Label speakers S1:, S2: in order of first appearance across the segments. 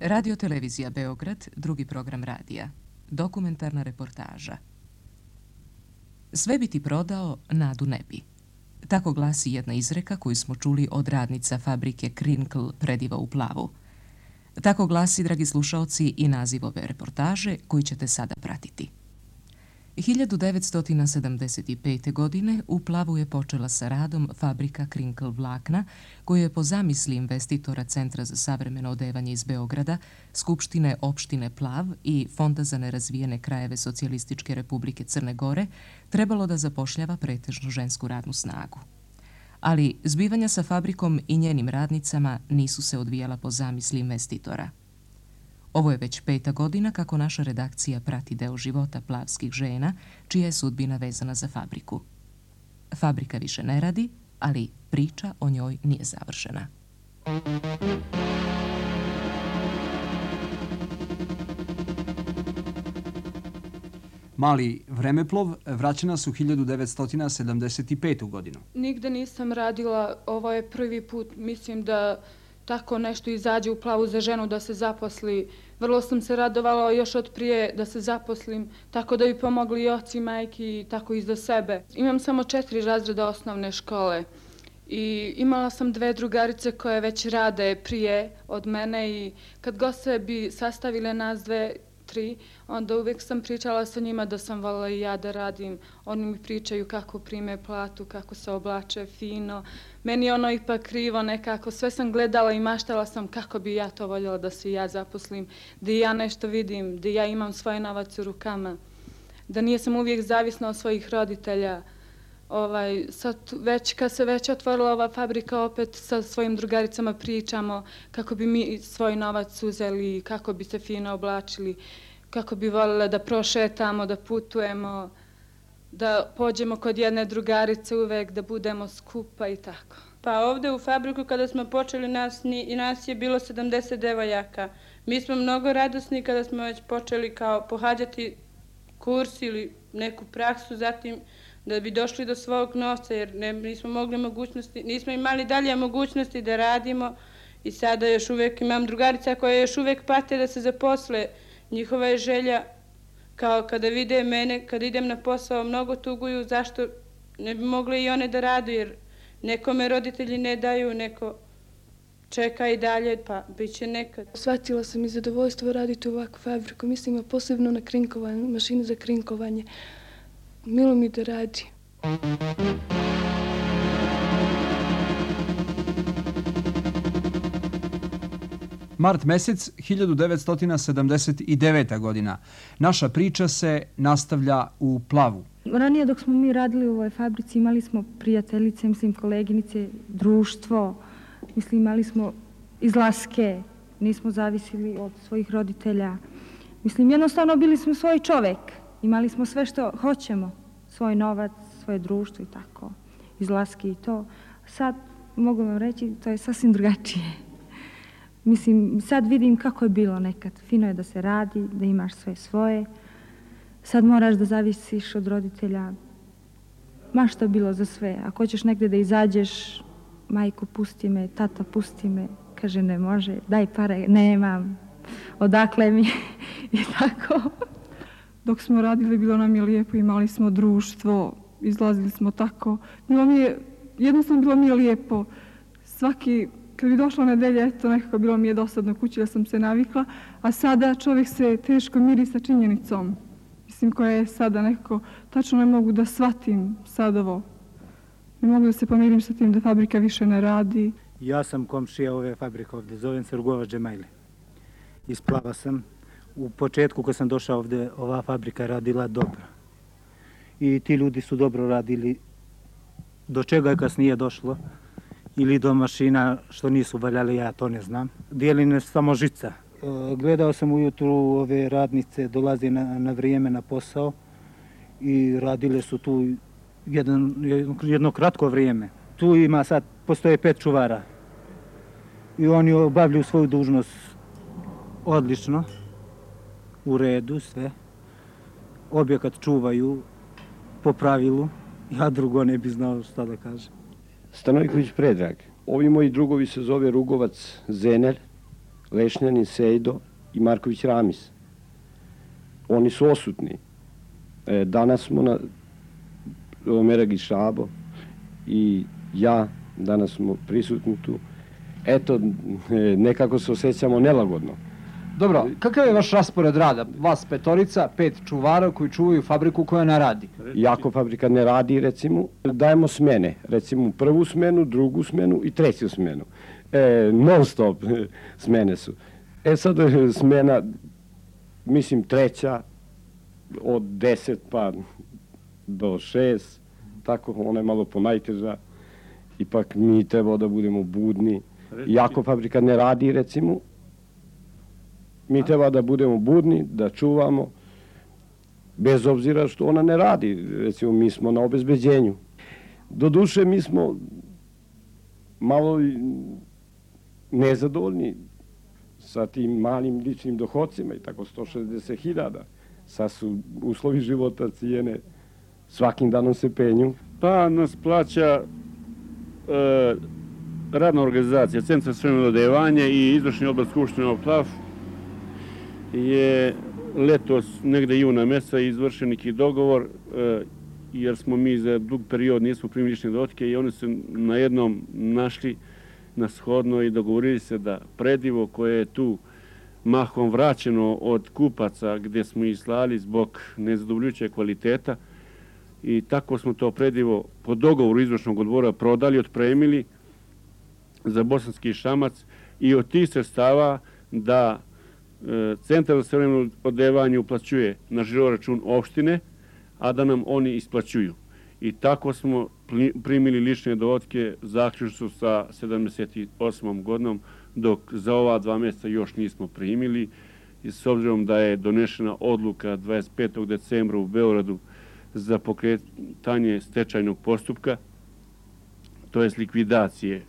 S1: Radio Televizija Beograd, drugi program radija. Dokumentarna reportaža. Sve bi ti prodao, nadu ne bi. Tako glasi jedna izreka koju smo čuli od radnica fabrike Krinkl Prediva u Plavu. Tako glasi, dragi slušaoci, i naziv ove reportaže koju ćete sada pratiti. 1975. godine u Plavu je počela sa radom fabrika Krinkl vlakna, koju je po zamisli investitora Centra za savremeno odevanje iz Beograda, Skupštine opštine Plav i Fonda za nerazvijene krajeve Socijalističke Republike Crne Gore trebalo da zapošljava pretežno žensku radnu snagu. Ali zbivanja sa fabrikom i njenim radnicama nisu se odvijala po zamisli investitora. Ovo je već 5. godina kako naša redakcija prati deo života plavskih žena, čija je sudbina vezana za fabriku. Fabrika više ne radi, ali priča o njoj nije završena.
S2: Mali vremeplov vraća nas u 1975. godinu.
S3: Nigde nisam radila, ovo je prvi put, mislim da tako nešto izađe u Plavu za ženu da se zaposli. Vrlo sam se radovala još od prije da se zaposlim, tako da bi pomogli i oci, majki i tako i za sebe. Imam samo 4 razreda osnovne škole i imala sam 2 drugarice koje već rade prije od mene i kad god se bi sastavile nas 2, 3, onda uvijek sam pričala sa njima da sam voljela i ja da radim. Oni mi pričaju kako prime platu, kako se oblače fino. Meni je ono ipak krivo nekako. Sve sam gledala i maštala sam kako bi ja to voljela da se ja zaposlim, da ja nešto vidim, da ja imam svoj novac u rukama, da nisam uvijek zavisna od svojih roditelja. Sad već, kad se već otvorila ova fabrika, opet sa svojim drugaricama pričamo kako bi mi svoj novac uzeli, kako bi se fino oblačili, kako bi voljela da prošetamo, da putujemo, da pođemo kod jedne drugarice uvek, da budemo skupa i tako.
S4: Pa ovde u fabriku kada smo počeli nas je bilo 70 devojaka. Mi smo mnogo radosni kada smo već počeli kao pohađati kurs ili neku praksu, zatim da bi došli do svog novca, jer nismo imali dalje mogućnosti da radimo i sada još uvijek imam drugarica koje još uvijek pate da se zaposle. Njihova je želja, kao kada vide mene, kada idem na posao, mnogo tuguju zašto ne bi mogle i one da radu, jer nekome roditelji ne daju, neko čeka i dalje, pa bit će nekad.
S3: Shvatila sam i zadovoljstvo raditi u ovakvu fabriku, mislim, a posebno na krinkovanje, mašini za krinkovanje. Milo mi da radi.
S2: Mart mesec 1979. godina. Naša priča se nastavlja u Plavu.
S5: Ranije dok smo mi radili u ovoj fabrici imali smo prijateljice, mislim koleginice, društvo, mislim imali smo izlaske, nismo zavisili od svojih roditelja. Mislim jednostavno bili smo svoj čovek, imali smo sve što hoćemo, svoj novac, svoje društvo i tako, izlaske i to. Sad mogu vam reći, to je sasvim drugačije. Mislim, sad vidim kako je bilo nekad. Fino je da se radi, da imaš sve svoje. Sad moraš da zavisiš od roditelja. Ma što je bilo za sve. Ako hoćeš negde da izađeš, majko pusti me, tata pusti me. Kaže ne može, daj pare, nemam. Odakle mi? I tako.
S6: Dok smo radili, bilo nam je lijepo, imali smo društvo, izlazili smo tako. Jednostavno bilo mi je lijepo. Kad bi došla nedelja, eto, nekako bilo mi je dosadno kući da sam se navikla, a sada čovjek se teško miri sa činjenicom. Mislim, koja je sada nekako, tačno ne mogu da shvatim sad ovo. Ne mogu da se pomirim sa tim da fabrika više ne radi.
S7: Ja sam komšija ove fabrike ovdje, zovem se Rugova Džemajli. Iz Plava sam. U početku kad sam došao ovdje, ova fabrika radila dobro. I ti ljudi su dobro radili. Do čega je kasnije došlo? Ili do mašina što nisu valjali, ja to ne znam. Dijeline samo žica. Gledao sam ujutru ove radnice, dolaze na vrijeme na posao i radile su tu jedno kratko vrijeme. Tu postoje 5 čuvara i oni obavljaju svoju dužnost odlično, u redu sve. Objekat čuvaju po pravilu, ja drugo ne bi znao šta da kažem.
S8: Stanojković Predrag. Ovi moji drugovi se zove Rugovac Zener, Lešnjanin Sejdo i Marković Ramis. Oni su osutni. Danas smo na Meragić Šabo i ja, danas smo prisutni tu. Eto, nekako se osjećamo nelagodno.
S2: Dobro, kakav je vaš raspored rada? Vas petorica, 5 čuvara koji čuvaju fabriku koja ne radi.
S8: Iako fabrika ne radi, recimo, dajemo smene. Recimo prvu smenu, drugu smenu i treću smenu. Non stop smene su. Sad smena, mislim treća, od 10 pa do 6, tako ona je malo ponajteža. Ipak mi treba da budemo budni. Iako fabrika ne radi, recimo, mi treba da budemo budni, da čuvamo, bez obzira što ona ne radi. Recimo, mi smo na obezbeđenju. Doduše, mi smo malo nezadovoljni sa tim malim ličnim dohodcima i tako 160.000. Sad su uslovi života, cijene, svakim danom se penju.
S9: Pa nas plaća radna organizacija, Centar za savremeno odevanje i izvršni odbor Skupštine PLAV je letos, negde juna meseca, izvršen neki dogovor, jer smo mi za dug period nismo primili lične dohotke i oni su na jednom našli na shodno i dogovorili se da predivo koje je tu mahom vraćeno od kupaca gdje smo ih slali zbog nezadovoljujućeg kvaliteta i tako smo to predivo po dogovoru izvršnog odbora prodali, otpremili za Bosanski Šamac i od tih sredstava da Centar za savremeno odevanje uplaćuje na žiro račun opštine, a da nam oni isplaćuju. I tako smo primili lične dohotke zaključno sa 78. godinom, dok za ova 2 mjeseca još nismo primili. I s obzirom da je donešena odluka 25. decembra u Beogradu za pokretanje stečajnog postupka, to je likvidacije.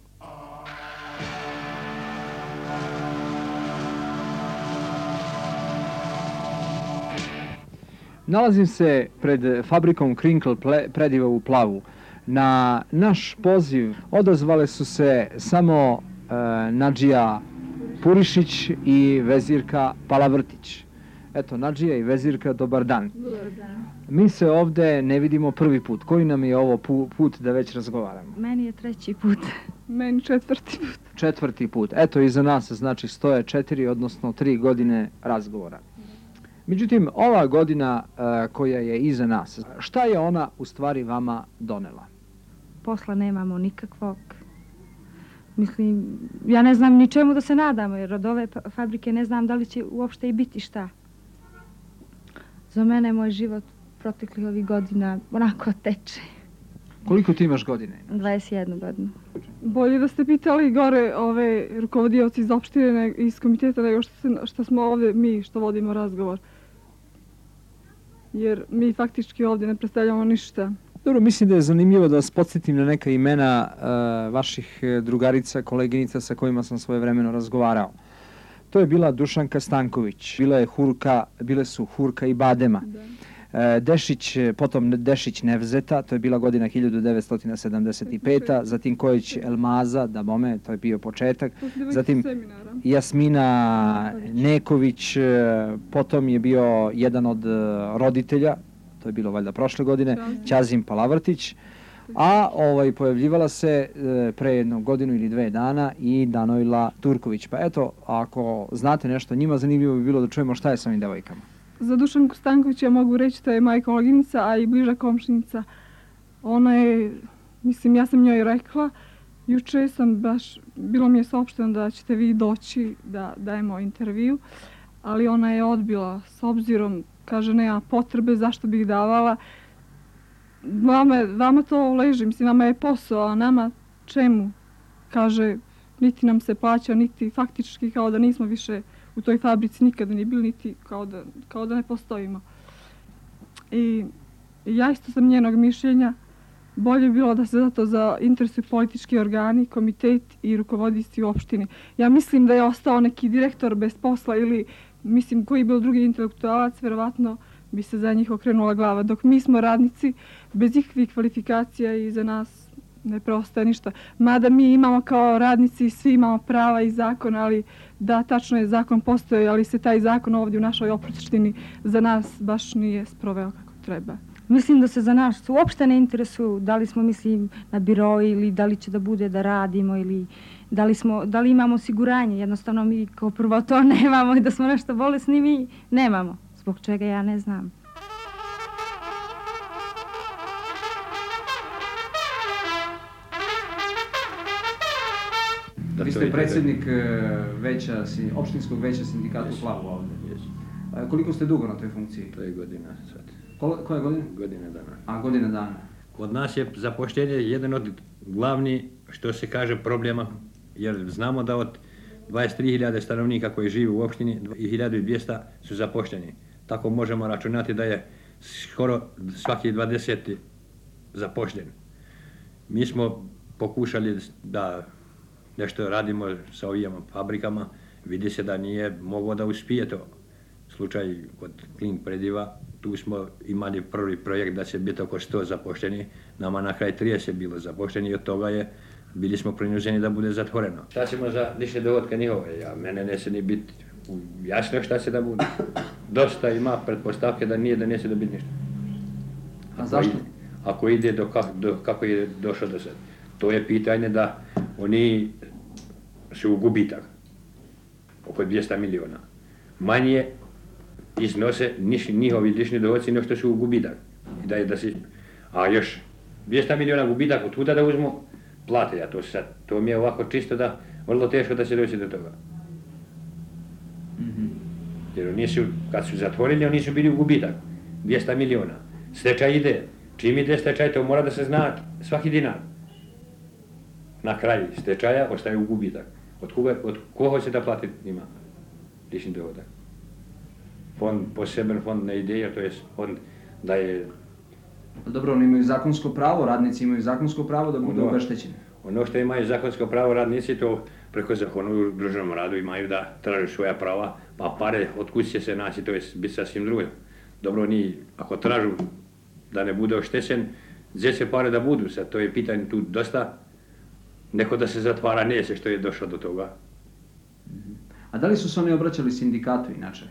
S2: Nalazim se pred fabrikom Krinkl prediva u Plavu. Na naš poziv odazvale su se samo Nadžija Purišić i vezirka Palavrtić. Eto, Nadžija i vezirka, dobar dan. Dobar dan. Mi se ovde ne vidimo prvi put. Koji nam je ovo put da već razgovaramo?
S5: Meni je 3. put.
S6: Meni 4. put.
S2: 4. put. Eto, iza nas znači stoje 4, odnosno 3 godine razgovora. Međutim, ova godina koja je iza nas, šta je ona u stvari vama donela?
S5: Posla nemamo nikakvog. Mislim, ja ne znam ni čemu da se nadamo, jer od ove fabrike ne znam da li će uopšte i biti šta. Za mene je moj život proteklih ovih godina onako teče.
S2: Koliko ti imaš godine?
S5: 21 godinu.
S6: Bolje da ste pitali gore ove rukovodioci iz opštine, iz komiteta, nego što smo ovde mi što vodimo razgovor. Jer mi faktički ovdje ne predstavljamo ništa.
S2: Dobro, mislim da je zanimljivo da vas podsjetim na neka imena vaših drugarica, koleginica sa kojima sam svojevremeno razgovarao. To je bila Dušanka Stanković, bile su Hurka i Badema. Dešić, potom Dešić Nevzeta, to je bila godina 1975. Zatim Kojić Elmaza, da bome, to je bio početak. Zatim Jasmina Neković, potom je bio jedan od roditelja, to je bilo valjda prošle godine, Ćazim Palavrtić, a pojavljivala se pre jednu godinu ili 2 dana i Danojla Turković. Pa eto, ako znate nešto o njima, zanimljivo bi bilo da čujemo šta je sa ovim devojkama.
S6: Za Dušanku Stanković ja mogu reći da je moja koleginica, a i bliža komšinica. Ona je, mislim, ja sam njoj rekla, juče sam baš, bilo mi je saopšteno da ćete vi doći da dajemo intervju, ali ona je odbila s obzirom, kaže, nema potrebe, zašto bih davala. Vama to leži, mislim, vama je posao, a nama čemu? Kaže, niti nam se plaća, niti faktički kao da nismo više u toj fabrici nikada ni bili, niti kao da ne postojimo. I ja isto sam njenog mišljenja, bolje bi bilo da se zato interesuju politički organi, komitet i rukovoditelji u opštini. Ja mislim da je ostao neki direktor bez posla ili, mislim, koji je bio drugi intelektualac, verovatno bi se za njih okrenula glava. Dok mi smo radnici, bez ikakvih kvalifikacija i za nas ne preostaje ništa. Mada mi imamo kao radnici, svi imamo prava i zakon, ali da, tačno je, zakon postoji, ali se taj zakon ovdje u našoj opštini za nas baš nije sproveo kako treba.
S5: Mislim da se za nas uopšte ne interesuju da li smo, mislim, na biroi ili da li će da bude da radimo ili da li imamo osiguranje. Jednostavno mi kao prvo to nemamo i da smo nešto bolesni mi nemamo. Zbog čega ja ne znam.
S2: Vi ste predsjednik opštinskog veća sindikata u Plavu ovdje. Koliko ste dugo na toj funkciji?
S10: 3 godina sad.
S2: Koja godina?
S10: Godina dana.
S2: A, godina dana.
S10: Kod nas je zapošljenje jedan od glavnih, što se kaže, problema, jer znamo da od 23.000 stanovnika koji žive u opštini, 1.200 su zapošljeni. Tako možemo računati da je skoro svaki 20. zapošljen. Mi smo pokušali da nešto radimo sa ovim fabrikama, vidi se da nije moglo da uspije to. Slučaj kod Klink Prediva, tu smo imali prvi projekt da će biti oko 100 zapošljeni, nama na kraj 30 bilo zapošljeni i od toga bili smo prinuđeni da bude zatvoreno. Šta ćemo za lične dohodke njihove? Mene neće ni biti jasno šta će da bude. Dosta ima pretpostavke da neće da biti ništa.
S2: A zašto?
S10: Ako ide do kako je došlo do sad. To je pitanje da oni su u gubitak, oko 200 miliona. Manje iznose njihovi lični dohodci nego što su u gubitak. A još 200 miliona gubitak, od tuda da uzmu plate, to mi je ovako čisto da vrlo teško da se doći do toga. Jer oni su, kad su zatvorili, oni su bili u gubitak, 200 miliona. Stečaj ide, čim ide stečaj, to mora da se zna svaki dinar. Na kraju stečaja ostaje u gubitak. Od koga će da plati njima lični dohodak? Poseban fond ne ide, jer to je fond da je...
S2: Dobro, oni imaju zakonsko pravo, radnici imaju zakonsko pravo da budu obeštećeni.
S10: Ono što imaju zakonsko pravo radnici, to preko zakona u društvenom radu imaju da traže svoja prava, pa pare od kuće će se naći, to je biti sasvim drugo. Dobro, oni ako tražu da ne bude oštećen, gdje će pare da budu, sad to je pitanje tu dosta, neko da se zatvara neće što je došlo do toga.
S2: A da li su se oni obraćali sindikatu inače?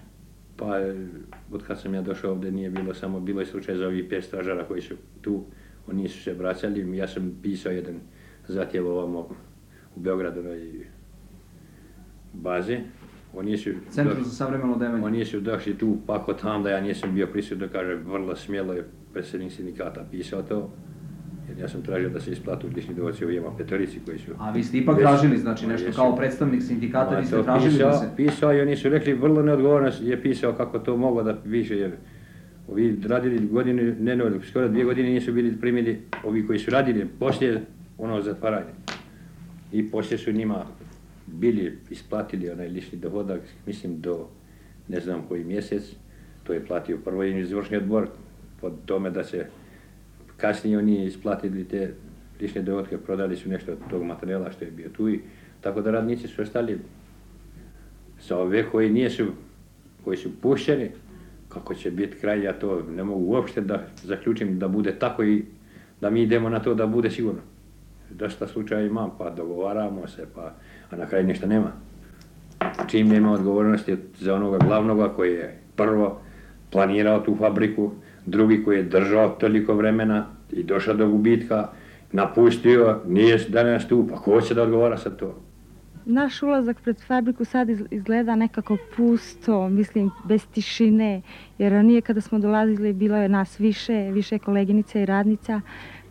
S10: Pa, od kad sam ja došao ovdje nije bilo, bilo je slučaj za ovih 5 stražara koji su tu, oni su se obraćali, ja sam pisao jedan zatjev ovamo u Beogradovoj bazi.
S2: Centru za savremeno odevanje.
S10: Oni su došli tu, pa kod tam da ja nisam bio prisutno, kaže, vrlo smjelo je predsjednik sindikata pisao to, jer ja sam tražio da se isplatu lični dohodci ovima 5 koji su...
S2: A vi ste ipak tražili, znači nešto kao predstavnik sindikata, vi ste tražili da se...
S10: Pisao i oni su rekli, vrlo neodgovorno je pisao kako to moglo da piše, jer ovi radili godinu, skoro 2 godine nisu bili primili, ovi koji su radili poslije zatvaranja. I poslije su njima bili isplatili onaj lični dohodak, mislim do ne znam koji mjesec, to je platio prvo izvršni odbor, pod tome da se kasnije oni isplatili te lične dohodke, prodali su nešto od tog materijala što je bio tu i tako da radnici su ostali sa ove koji su pušteni, kako će biti kraj, ja to ne mogu uopšte da zaključim da bude tako i da mi idemo na to da bude sigurno. Dosta slučaja imam, pa dogovaramo se, a na kraju ništa nema. Čim nema odgovornosti za onoga glavnoga koji je prvo planirao tu fabriku, drugi koji je držao toliko vremena i došao do gubitka, napustio, nije danas tu, pa ko će da odgovara sad to?
S5: Naš ulazak pred fabriku sad izgleda nekako pusto, mislim, bez tišine, jer ranije kada smo dolazili bilo je nas više koleginica i radnica,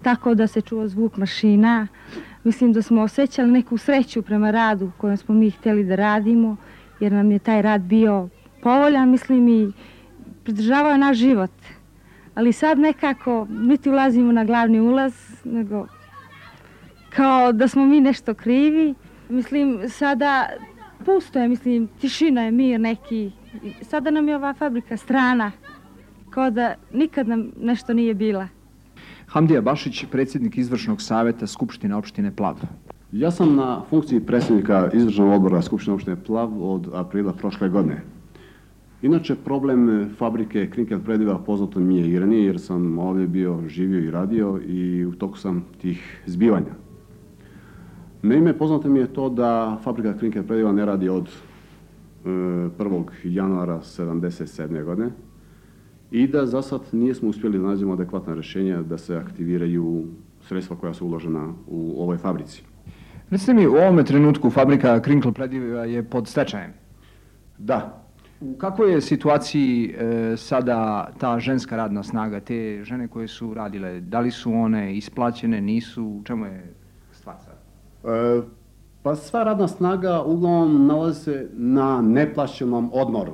S5: tako da se čuo zvuk mašina. Mislim da smo osjećali neku sreću prema radu kojem smo mi htjeli da radimo, jer nam je taj rad bio povoljan, mislim, i pridržavao naš život. Ali sad nekako niti ulazimo na glavni ulaz, nego kao da smo mi nešto krivi. Mislim, sada pusto je, mislim, tišina je, mir neki. Sada nam je ova fabrika strana, kao da nikad nam nešto nije bila.
S2: Hamdija Bašić, predsjednik izvršnog savjeta Skupštine opštine Plav.
S11: Ja sam na funkciji predsjednika izvršnog odbora Skupštine opštine Plav od aprila prošle godine. Inače, problem fabrike Krinkel prediva poznato mi je i ranije, jer sam ovdje bio, živio i radio i u toku sam tih zbivanja. Naime, poznato mi je to da fabrika Krinkel prediva ne radi od 1. januara 1977. godine i da za sad nismo uspjeli da nađemo adekvatna rješenja da se aktiviraju sredstva koja su uložena u ovoj fabrici.
S2: Recite mi, u ovome trenutku fabrika Krinkel prediva je pod stečajem.
S11: Da.
S2: U kakvoj je situaciji sada ta ženska radna snaga, te žene koje su radile? Da li su one isplaćene, nisu? U čemu je stvar sada?
S11: Pa sva radna snaga uglavnom nalazi se na neplaćenom odmoru.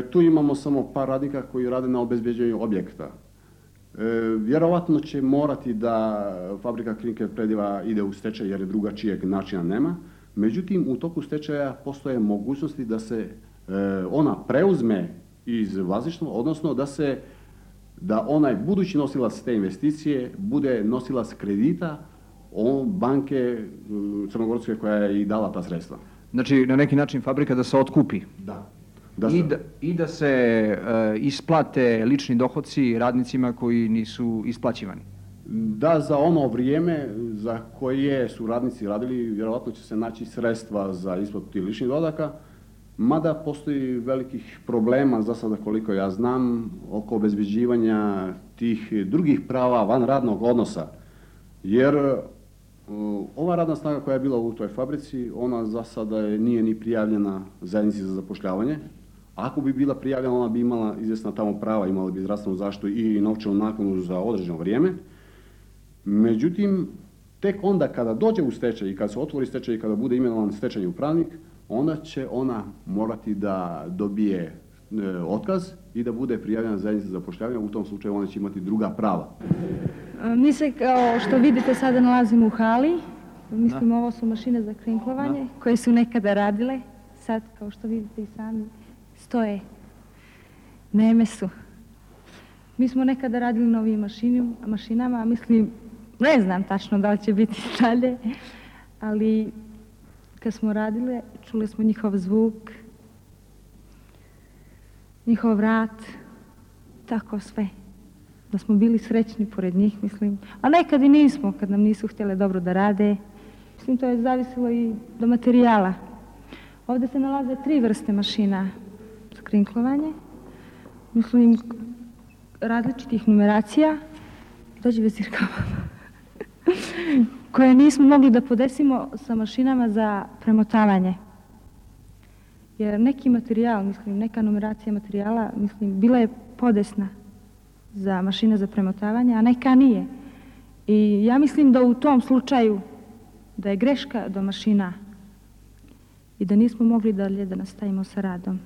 S11: Tu imamo samo par radnika koji rade na obezbeđenju objekta. Vjerovatno će morati da fabrika Krinkel prediva ide u stečaj jer drugačijeg načina nema. Međutim, u toku stečaja postoje mogućnosti da se ona preuzme iz vlasništva, odnosno da onaj budući nosilac te investicije bude nosilac kredita banke crnogorske koja je i dala ta sredstva.
S2: Znači, na neki način fabrika da se otkupi?
S11: Da.
S2: I da se isplate lični dohodci radnicima koji nisu isplaćivani?
S11: Da, za ono vrijeme za koje su radnici radili, vjerovatno će se naći sredstva za isplatu tih ličnih dohodaka, mada postoji velikih problema, za sada koliko ja znam, oko obezbeđivanja tih drugih prava van radnog odnosa. Jer ova radna snaga koja je bila u toj fabrici, ona za sada nije ni prijavljena zajednici za zapošljavanje. Ako bi bila prijavljena, ona bi imala izvjesna tamo prava, imala bi zdravstvenu zaštitu i novčanu naknadu za određeno vrijeme. Međutim, tek onda kada dođe u stečaj i kada se otvori stečaj i kada bude imenovan stečajni upravnik, onda će ona morati da dobije otkaz i da bude prijavljena zajednica za zapošljavanje. U tom slučaju ona će imati druga prava.
S5: Mi se, kao što vidite, sada nalazimo u hali. Mislim, ovo su mašine za krinklovanje koje su nekada radile. Sad, kao što vidite i sami, stoje. Neme su. Mi smo nekada radili na ovim mašinama, mislim, ne znam tačno da li će biti dalje, ali kad smo radile, čuli smo njihov zvuk, njihov rad, tako sve. Da smo bili srećni pored njih, mislim. A nekad i nismo, kad nam nisu htjele dobro da rade. Mislim, to je zavisilo i do materijala. Ovdje se nalaze 3 vrste mašina za krinklovanje. Mislim, različitih numeracija. Dođi vezirka koje nismo mogli da podesimo sa mašinama za premotavanje. Jer neki materijal, mislim, neka numeracija materijala, mislim, bila je podesna za mašine za premotavanje, a neka nije. I ja mislim da u tom slučaju da je greška do mašina i da nismo mogli dalje da nastavimo sa radom.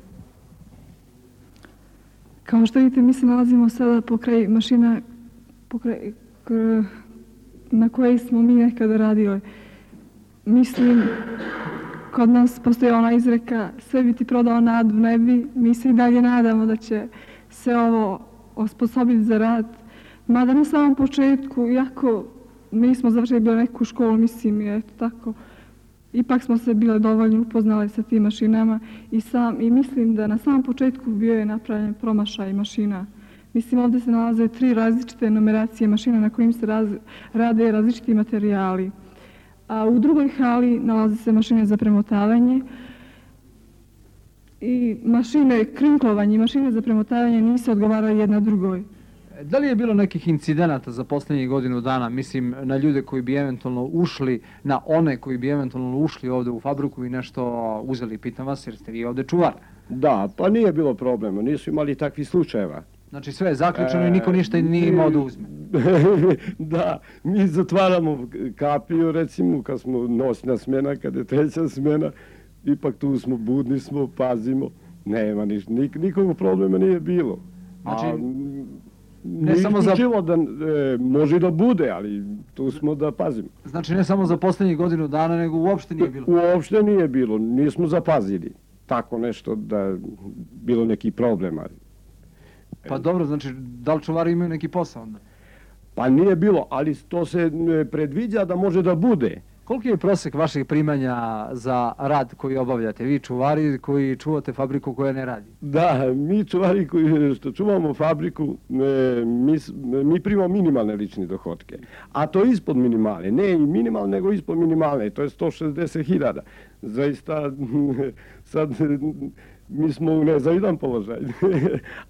S6: Kao što vidite, mi se nalazimo sada pokraj mašina na koje smo mi nekada radili. Mislim, kod nas postoji ona izreka, sve bi ti prodao nadu, ne bi. Mi se i dalje nadamo da će se ovo osposobiti za rad. Mada na samom početku, iako nismo završili bilo neku školu, mislim, i eto tako, ipak smo se bile dovoljno upoznali sa tim mašinama i mislim da na samom početku bio je napravljen promašaj mašina. Mislim, ovdje se nalaze 3 različite numeracije mašina na kojim se rade različiti materijali. A u drugoj hali nalaze se mašine za premotavanje i mašine krinklovanje i mašine za premotavanje nisu odgovarali jedna drugoj.
S2: Da li je bilo nekih incidenata za posljednjih godinu dana, mislim, na ljude koji bi eventualno ušli, na one koji bi eventualno ušli ovdje u fabriku i nešto uzeli, pitam vas, jer ste vi ovdje čuvar?
S8: Da, pa nije bilo problema, nisu imali takvih slučajeva.
S2: Znači sve je zaključeno i niko ništa nije imao da uzme.
S8: Da, mi zatvaramo kapiju, recimo, kad smo noćna smjena, kad je 3. smjena, ipak tu smo, budni smo, pazimo, nema nikog problema nije bilo.
S2: Znači,
S8: ne samo za da može da bude, ali tu smo da pazimo.
S2: Znači ne samo za posljednjih godinu dana, nego uopšte nije bilo?
S8: Uopšte nije bilo, nismo zapazili tako nešto da bilo neki problema.
S2: Pa dobro, znači da li čuvari imaju neki posao onda?
S8: Pa nije bilo, ali to se predviđa da može da bude.
S2: Koliki je prosek vaših primanja za rad koji obavljate? Vi čuvari koji čuvate fabriku koja ne radi.
S8: Da, mi čuvari koji što čuvamo fabriku, mi primamo minimalne lične dohodke. A to je ispod minimalne. Ne i minimalne, nego ispod minimalne. To je 160.000. Zaista, sad mi smo u nezavidan položaj.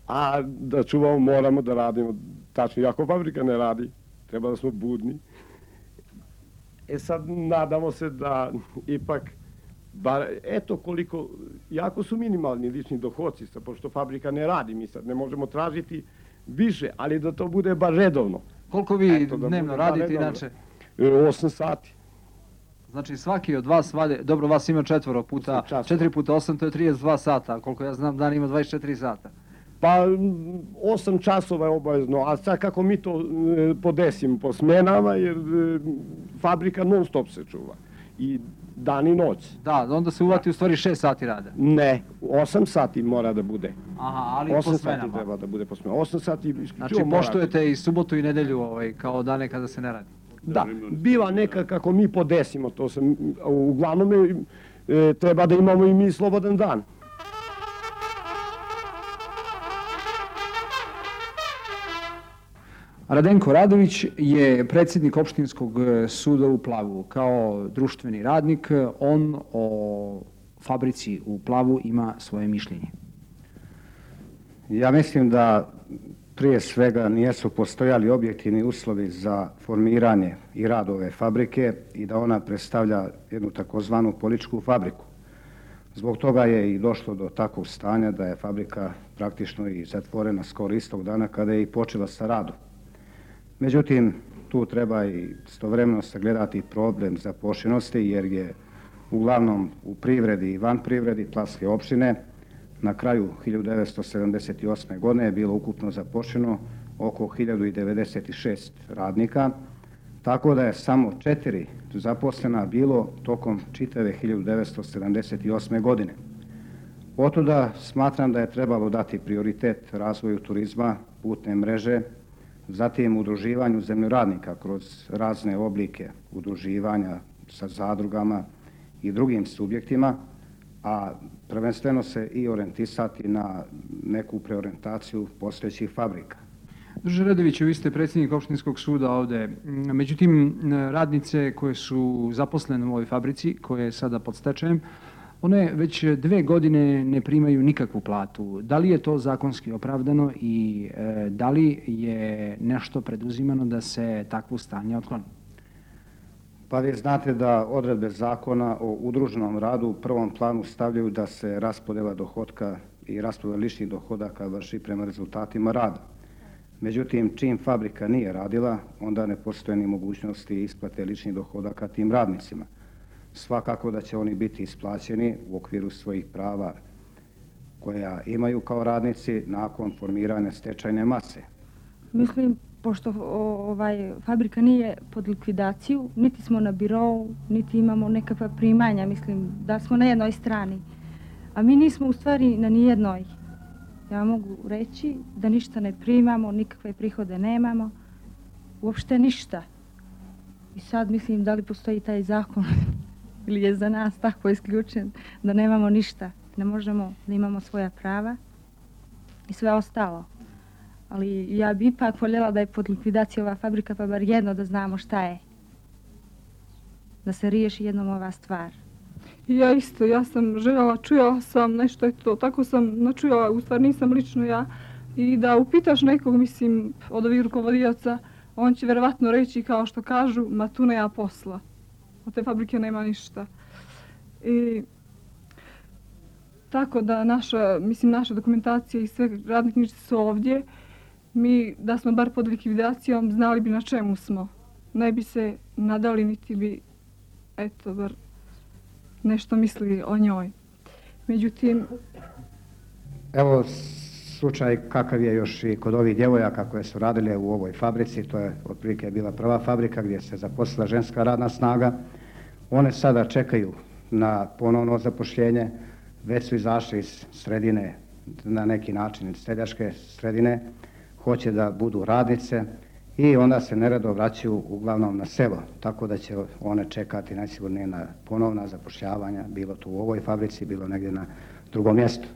S8: A da čuvamo moramo da radimo. Tačno, jako fabrika ne radi. Treba da smo budni. Sad nadamo se da ipak, eto koliko, jako su minimalni lični dohodci, pošto fabrika ne radi, mi sad ne možemo tražiti više, ali da to bude bar redovno.
S2: Koliko vi dnevno radite inače?
S8: 8 sati.
S2: Znači svaki od vas vade, dobro vas ima 4 puta 8, to je 32 sata, koliko ja znam dan ima 24 sata.
S8: Pa 8 časova je obavezno, a sad kako mi to podesimo po smenama, jer fabrika non stop se čuva. I dan i noć.
S2: Da, onda se uvati u stvari 6 sati rada.
S8: Ne, 8 sati mora da bude.
S2: Aha, ali po smenama.
S8: 8 sati treba da bude po smenama. 8 sati
S2: znači poštujete i subotu i nedelju kao dane kada se ne radi.
S8: Da, biva neka kako mi podesimo, to se, uglavnom treba da imamo i mi slobodan dan.
S2: Radenko Radović je predsjednik opštinskog suda u Plavu. Kao društveni radnik, on o fabrici u Plavu ima svoje mišljenje.
S12: Ja mislim da prije svega nisu postojali objektivni uslovi za formiranje i rad ove fabrike i da ona predstavlja jednu takozvanu političku fabriku. Zbog toga je i došlo do takvog stanja da je fabrika praktično i zatvorena skoro istog dana kada je i počela sa radom. Međutim, tu treba i istovremeno sagledati problem zaposlenosti jer je uglavnom u privredi i van privredi Plavske opštine na kraju 1978. godine je bilo ukupno zaposleno oko 1096 radnika, tako da je samo 4 zaposlena bilo tokom čitave 1978. godine. Otuda smatram da je trebalo dati prioritet razvoju turizma, putne mreže, zatim udruživanju zemljoradnika kroz razne oblike udruživanja sa zadrugama i drugim subjektima, a prvenstveno se i orijentisati na neku preorijentaciju postojećih fabrika.
S2: Druže Radoviću, vi ste predsjednik opštinskog suda ovde. Međutim, radnice koje su zaposlene u ovoj fabrici, koje je sada pod stečajem, one već 2 godine ne primaju nikakvu platu. Da li je to zakonski opravdano i da li je nešto preduzimano da se takvo stanje otkloni?
S12: Pa vi znate da odredbe zakona o udruženom radu u prvom planu stavljaju da se raspodjela dohodka i raspodjela ličnih dohodaka vrši prema rezultatima rada. Međutim, čim fabrika nije radila, onda ne postoje ni mogućnosti isplate ličnih dohodaka tim radnicima. Svakako da će oni biti isplaćeni u okviru svojih prava koja imaju kao radnici nakon formiranja stečajne mase.
S5: Mislim, pošto fabrika nije pod likvidaciju, niti smo na birou, niti imamo nekakva primanja, mislim da smo na jednoj strani. A mi nismo u stvari na nijednoj. Ja mogu reći da ništa ne primamo, nikakve prihode nemamo, uopšte ništa. I sad mislim da li postoji taj zakon ili je za nas tako isključen da nemamo ništa, ne možemo da imamo svoja prava i sve ostalo. Ali ja bi ipak voljela da je pod likvidacijom ova fabrika, pa bar jedno da znamo šta je. Da se riješi jednom ova stvar.
S6: Ja isto, ja sam željela, čujela sam nešto, eto, tako sam načujela, u stvari nisam lično ja. I da upitaš nekog, mislim, od ovih rukovodioca, on će verovatno reći kao što kažu, ma tu nema posla. Od te fabrike nema ništa. I tako da naša dokumentacija i sve radne knjižice su ovdje. Mi, da smo bar pod likvidacijom, znali bi na čemu smo. Ne bi se nadali, niti bi, eto, bar nešto mislili o njoj. Međutim...
S12: Evo slučaj kakav je još i kod ovih djevojaka koje su radile u ovoj fabrici. To je otprilike bila prva fabrika gdje se zaposlila ženska radna snaga. One sada čekaju na ponovno zapošljenje. Već su izašli iz sredine, na neki način iz seljačke sredine. Hoće da budu radnice i onda se neredo vraćaju uglavnom na selo, tako da će one čekati najsigurnije na ponovna zapošljavanja, bilo tu u ovoj fabrici, bilo negdje na drugom mjestu.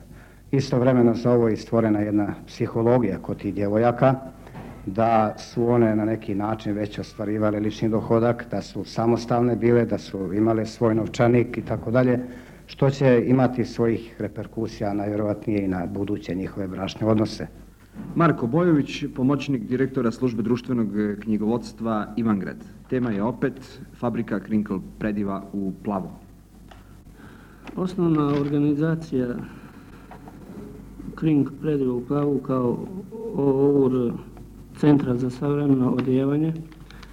S12: Istovremeno za ovo je stvorena jedna psihologija kod tih djevojaka, da su one na neki način već ostvarivale lični dohodak, da su samostalne bile, da su imale svoj novčanik i tako dalje, što će imati svojih reperkusija najvjerovatnije i na buduće njihove bračne odnose.
S2: Marko Bojović, pomoćnik direktora službe društvenog knjigovodstva Ivangrad. Tema je opet fabrika Krinkl Prediva u Plavu.
S13: Osnovna organizacija Krinkl Prediva u Plavu kao OUR Centra za savremeno odijevanje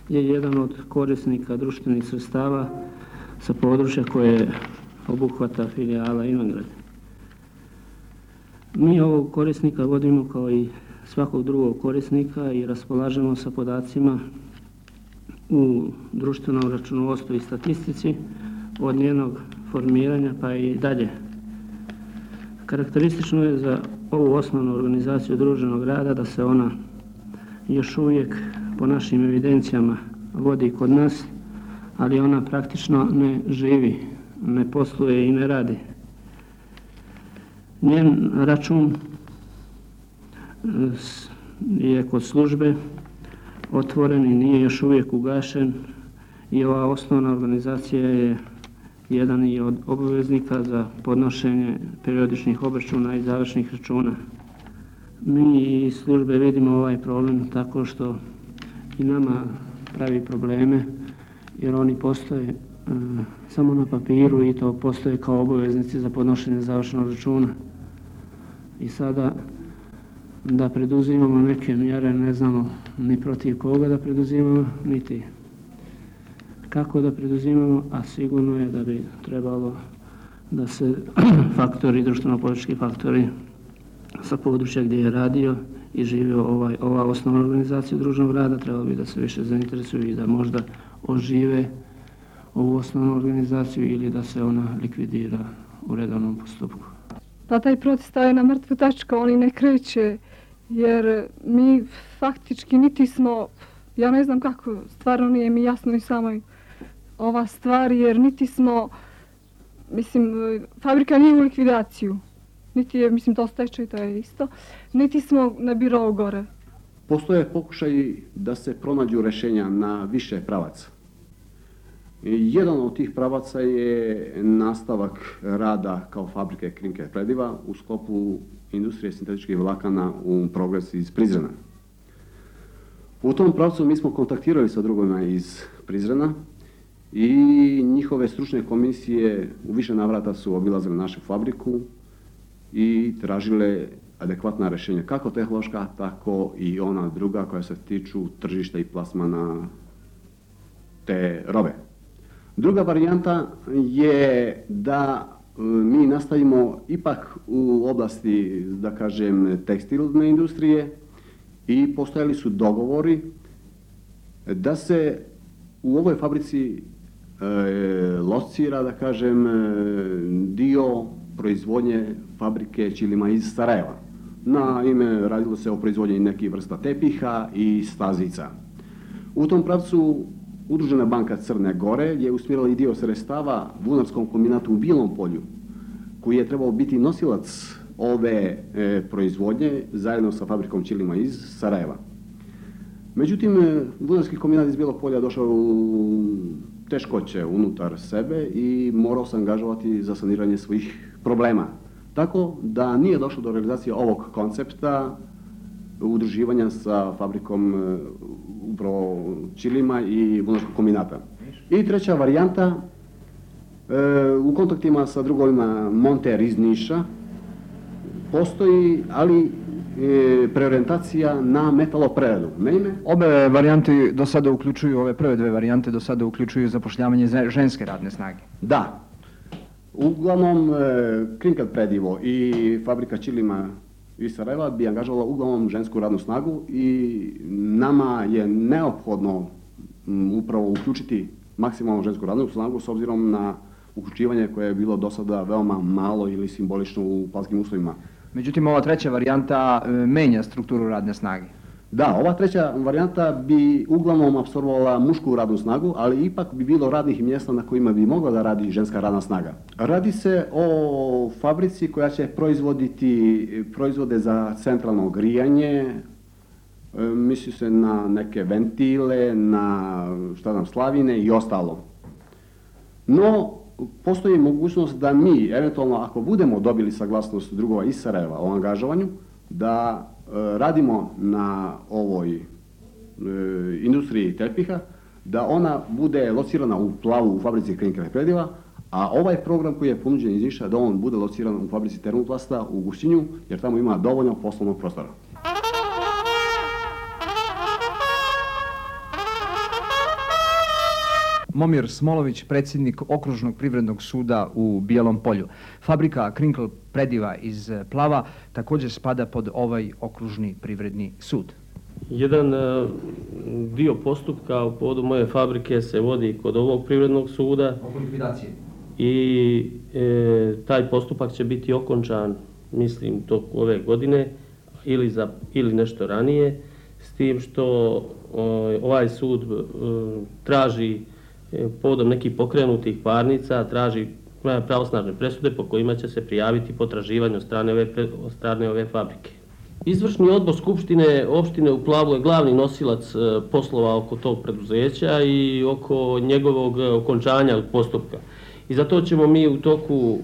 S13: je jedan od korisnika društvenih sredstava sa područja koje obuhvata filijala Ivangrad. Mi ovog korisnika vodimo kao i svakog drugog korisnika i raspolažemo sa podacima u društvenom računovodstvu i statistici od njenog formiranja pa i dalje. Karakteristično je za ovu osnovnu organizaciju društvenog rada da se ona još uvijek po našim evidencijama vodi kod nas, ali ona praktično ne živi, ne posluje i ne radi. Njen račun je kod službe otvoren i nije još uvijek ugašen i ova osnovna organizacija je jedan i od obveznika za podnošenje periodičnih obračuna i završnih računa. Mi iz službe vidimo ovaj problem tako što i nama pravi probleme jer oni postoje samo na papiru i to postoje kao obaveznici za podnošenje završnog računa. I sada da preduzimamo neke mjere, ne znamo ni protiv koga da preduzimamo, niti kako da preduzimamo, a sigurno je da bi trebalo da se faktori, društveno-politički faktori sa područja gdje je radio i živio ova osnovna organizacija društvenog rada, trebalo bi da se više zainteresuju i da možda ožive ovu osnovnu organizaciju ili da se ona likvidira u redovnom postupku.
S6: Pa taj proces staje na mrtvu tačku, oni ne kreće, jer mi faktički niti smo, ja ne znam kako, stvarno nije mi jasno ni samo ova stvar, jer niti smo, mislim, fabrika nije u likvidaciju, niti je, mislim, to stečaj, to je isto, niti smo na birou gore.
S11: Postoje pokušaj da se pronađu rješenja na više pravaca. Jedan od tih pravaca je nastavak rada kao fabrike Krinkl Prediva u sklopu industrije sintetičkih vlakana u Progres iz Prizrena. U tom pravcu mi smo kontaktirali sa drugovima iz Prizrena i njihove stručne komisije u više navrata su obilazile našu fabriku i tražile adekvatna rješenja, kako tehnološka, tako i ona druga koja se tiču tržišta i plasmana te robe. Druga varijanta je da mi nastavimo ipak u oblasti, da kažem, tekstilne industrije i postojali su dogovori da se u ovoj fabrici locira, da kažem, dio proizvodnje fabrike ćilima iz Sarajeva. Naime, radilo se o proizvodnji nekih vrsta tepiha i stazica. U tom pravcu Udružena banka Crne Gore je usmjerila i dio sredstava vunarskom kombinatu u Bilom polju, koji je trebao biti nosilac ove proizvodnje zajedno sa fabrikom ćilima iz Sarajeva. Međutim, vunarski kombinat iz Bilog polja došao u teškoće unutar sebe i morao se angažovati za saniranje svojih problema. Tako da nije došlo do realizacije ovog koncepta udruživanja sa fabrikom upravo ćilima i vunarskog kombinata. I treća varijanta, u kontaktima sa drugovima Monter iz Niša postoji, ali preorijentacija na metalopreradu. Naime,
S2: Obe varijante do sada uključuju, ove prve dve varijante do sada uključuju zapošljavanje ženske radne snage.
S11: Da. Uglavnom, Krinkl Predivo i fabrika ćilima iz Sarajeva bi angažovala uglavnom žensku radnu snagu i nama je neophodno upravo uključiti maksimalno žensku radnu snagu s obzirom na uključivanje koje je bilo do sada veoma malo ili simbolično u planskim uslovima.
S2: Međutim, ova treća varijanta menja strukturu radne snage.
S11: Da, ova treća varijanta bi uglavnom apsorbovala mušku radnu snagu, ali ipak bi bilo radnih mjesta na kojima bi mogla da radi ženska radna snaga. Radi se o fabrici koja će proizvoditi proizvode za centralno grijanje, misli se na neke ventile, na slavine i ostalo. No, postoji mogućnost da mi, eventualno ako budemo dobili saglasnost drugova iz Sarajeva o angažovanju, da radimo na ovoj industriji tepiha, da ona bude locirana u Plavu u fabrici Krinkel prediva, a ovaj program koji je ponuđen iz Niša da on bude lociran u fabrici Termoplasta u Gušćinju, jer tamo ima dovoljno poslovnog prostora.
S2: Momir Smolović, predsjednik Okružnog privrednog suda u Bijelom Polju. Fabrika Krinkel prediva iz Plava također spada pod ovaj Okružni privredni sud.
S14: Jedan dio postupka u povodu moje fabrike se vodi kod ovog privrednog suda.
S2: Oko likvidacije.
S14: I taj postupak će biti okončan, mislim, toku ove godine ili nešto ranije, s tim što ovaj sud traži povodom nekih pokrenutih parnica, traži pravosnažne presude po kojima će se prijaviti potraživanje od strane ove fabrike. Izvršni odbor Skupštine opštine u Plavu je glavni nosilac poslova oko tog preduzeća i oko njegovog okončanja postupka. I zato ćemo mi u toku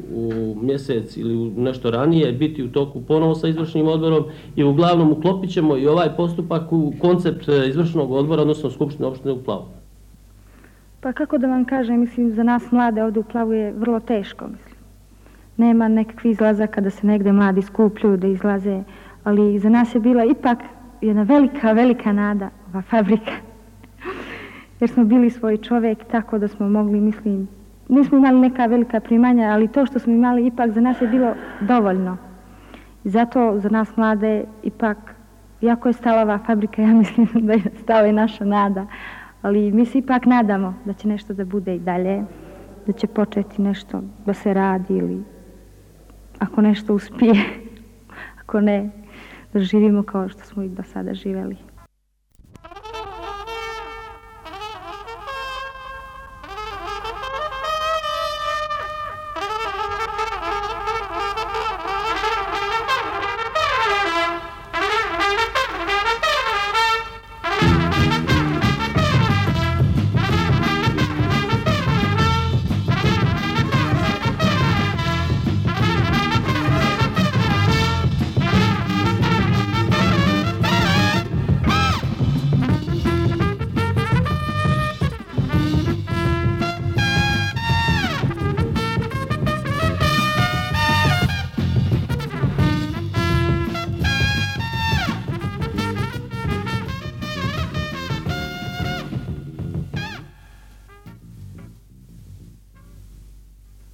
S14: mjesec ili nešto ranije biti u toku ponovo sa izvršnim odborom i uglavnom uklopit ćemo i ovaj postupak u koncept izvršnog odbora, odnosno Skupštine opštine u Plavu.
S5: Pa kako da vam kažem, mislim, za nas mlade ovdje u Plavu je vrlo teško, mislim. Nema nekakvih izlazaka da se negde mladi skupljuju, da izlaze, ali za nas je bila ipak jedna velika, velika nada, ova fabrika. Jer smo bili svoj čovjek, tako da smo mogli, mislim, nismo imali neka velika primanja, ali to što smo imali ipak za nas je bilo dovoljno. I zato za nas mlade ipak, jako je stala ova fabrika, ja mislim da je stala i naša nada. Ali mi se ipak nadamo da će nešto da bude i dalje, da će početi nešto da se radi ili ako nešto uspije, ako ne, da živimo kao što smo i do sada živeli.